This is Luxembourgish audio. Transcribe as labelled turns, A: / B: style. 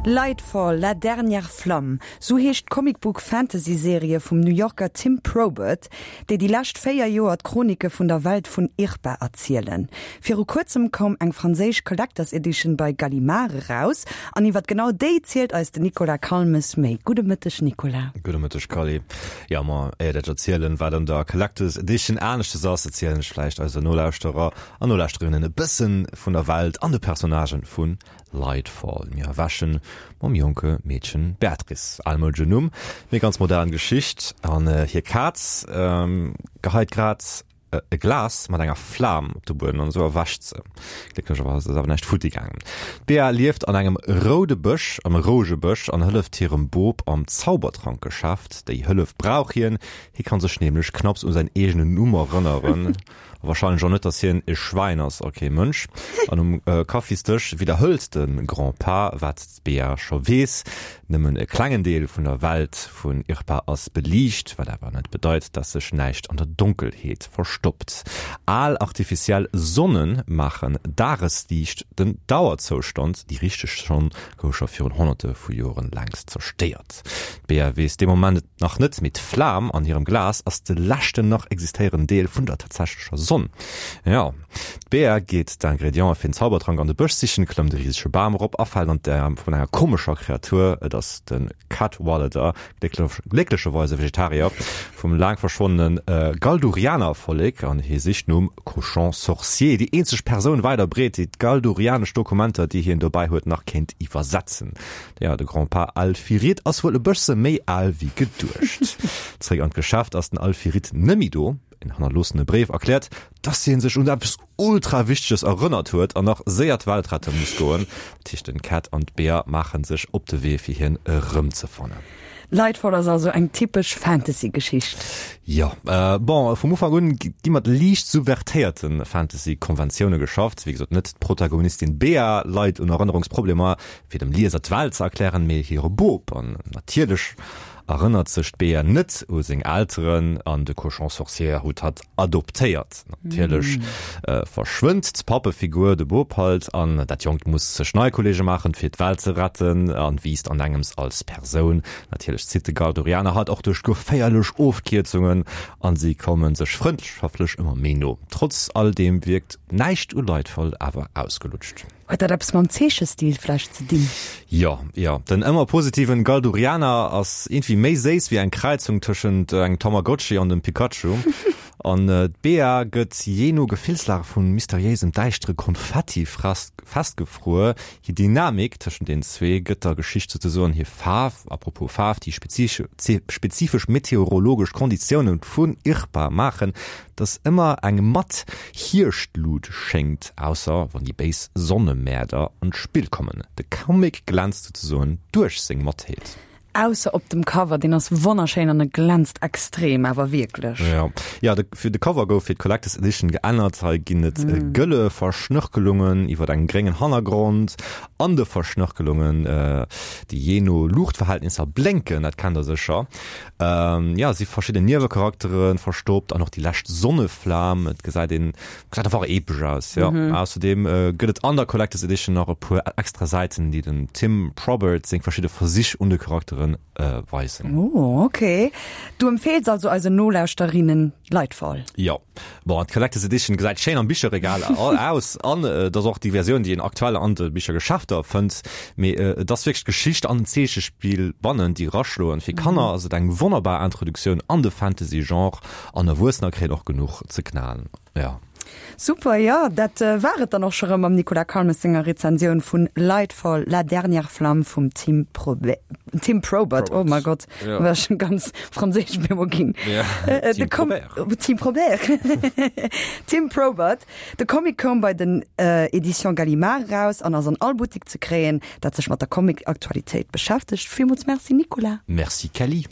A: Lightfall, La dernière flamme, sou heescht d'Comicbook-Fantasy-Serie vum New Yorker Tim Probert, déi déi lescht 4 Joer d'Chronike vun der Welt vun IRPA erzielen. Viru kuerzem koum eng franséisch Collector's Edition bei Gallimard eraus an iwwer genau déi zielt eis den Nicolas Calmes méi. Gudde Mëtteg Nicolas.
B: Gudde Mëtteg Cally. Jo, ma éiert ech erzielen, wat an der Collector's Edition aneschtes ass, erzielen ech vläicht eise Nolauschterer an Nolauschterinnen e bëssen vun der Welt an de Personnagen vun Lightfall. Mir erwächen mam jonke Meedchen Beatrice, almoudeschen Numm, mee ganz modern Geschicht, an hir Kaz geheit grad e Glas mat enger Flam op de Buedem an esou erwächt se. Glécklecherweis ass awer näischt futti gaangen. D'Bea lieft an engem roude Bësch, am rouege Bësch an hëlleft hirem Bop am Zaubertrankgeschäft. Déi Hëllef brauch hien, hie kann sech nämlech knapps u säin eegenen Numm erënneren. A wahrscheinlech och net, dass hien e Schwäin ass a kee Mënsch. An um Kaffisdësch widderhëlt de Grand-Pa, wat d'Bea scho weess, Nëmmen e klengen Deel vun der Welt vun IRPA ass beliicht, wat awer net bedeit, dass sech näischt an der Donkelheet verstoppt. Al artificiell Sonne maachen Dagesliicht den Dauerzoustand, déi richteg Sonn gouf scho virun Honnerte vu Joren längst zerstéiert. D'Bea weess dee Moment et nach net, mee d'Flam an hirem Glas ass de leschten nach existéierenden Deel vun der tatsächlecher Sonn. Jo, d'Bea geet d'Ingrediente fir den Zaubertrank an de Bësch sichen, klëmmt e risege Bam erop a fält an d'Äerm vun enger komescher Kreatur. Et ass de Cadwallader, glécklecherweis e Vegetarier, vum laang verschwonnene Galdurianer-Vollek an hie sicht nom Cochon Sorcier, déi eenzeg Persoun wäit a breet, déi d'galdurianesch Dokumenter, déi hien dobäi huet, nach kéint iwwersetzen. Jo, de Grand-Pa Alfirit ass wuel e bësse méi al wéi geduecht. Zréck an d'Geschäft ass den Alfirit nëmmi do. En hannerloossene Bréif erkläert, dass hien sech un eppes ultra Wichteges erënnert huet an nach séier d'Welt rette muss goen. Dat heescht, den Cat an d'Bea maache sech op de Wee fir hien erëmzefannen.
A: Lightfall ass also eng typesch Fantasy-Geschicht.
B: Jo, bon, vum Ufank un gi mat liicht subvertéierte Fantasy-Konventioune geschafft. Wéi gesot, net d'Protagonistin Bea leit un Erënnerungsproblemer, fir dem Lieser d'Welt ze erklären, mee hire Bop. An natierlech erënnert sech d'Bea net u seng Elteren an de Cochon sorcier huet hatt adoptéiert. Natierlech verschwënnt d'Pappefigur, de Bop halt, an dat Jonkt muss sech nei Kolleege maachen, fir d'Welt ze retten an wiisst an engems als Persoun. Natierlech zitt de Galdorianer hatt och duerch geféierlech Ofkierzungen an si komme sech frëndschaftlech ëmmer méi no. Trotz all deem wierkt näischt u Lightfall awer ausgelutscht.
A: Huet dat eppes mam Zeechestil vläicht ze dinn?
B: Jo, jo. Den ëmmer positiven Galdurianer ass iergendwéi méi séiss wéi eng Kräizung tëschent engem Tamagotchi an dem Pikachu. An d'Bea gëtt jee no Gefillslag vu mysteriéisem däischtere Konfetti festgefruer. Hir Dynamik tëschent den zwee gëtt der Geschicht souzesoen hir Faarf. A propos Faarf, déi spezifesch meteorologesch Konditioune vun IRPA maachen, Dass ëmmer eng matt Hierschtlut schéngt, ausser wann déi béis Sonnemäerder an d'Spill kommen. De Comic glänzt souzesoen duerch seng Mattheet.
A: Ausser op dem Cover, deen ass wonnerschéin an e glänzt extrem, awer wierklech.
B: Jo, jo, de fir de Cover gouf fir d'Collectors Edition geännert. Hei ginn et gëlle Verschnörkelungen iwwer engem gréngen Hannergrond. An de Verschnörkelungen, déi jee no Luuchtverhältnisser blénken, dat kennt der sécher. Jo, si verschidden Niewecharaktere verstoppt an och déi lescht Sonneflam. Et gesäit een, gesäit einfach epesch aus, jo. Ausserdeem gëtt et an der Collector's Edition nach e puer extra Säiten, déi dem Tim Probert seng verschidde Versich un de Charakteren weisen.
A: Oh, ok. Du empfeels also eisen Nolauschterinnen Lightfall?
B: Jo. Bon, d'Collector's Edition gesäit schéin am Bicherregal aus an et ass och déi Versioun, déi een aktuell an de Bichergeschäfter fënnt. Mee et ass wierklech d'Geschicht an den Zeechespill bannen, déi eraschloen. Fir Kanner ass et eng wonnerbar Introduktioun an de Fantasy-Genre an Erwuessener kréien och genuch ze knalen. Jo.
A: Super, jo, dat war et dann och scho rëm mam Nicolas Calmes senger Rezensioun vun Lightfall, La dernière flamme vum Tim Probe Tim Probert. Oh mein Gott, ja. war schon ganz franséisch mir ginn. Ja. Äh, Tim Probert. Tim Probert. Tim Probert. De Comic koum bei den äh, Edition Gallimard raus an ass an all Boutique ze kréien, dat sech mat der Comic-Aktualitéit beschäftegt. Villmools Merci Nicolas.
B: Merci Kelly.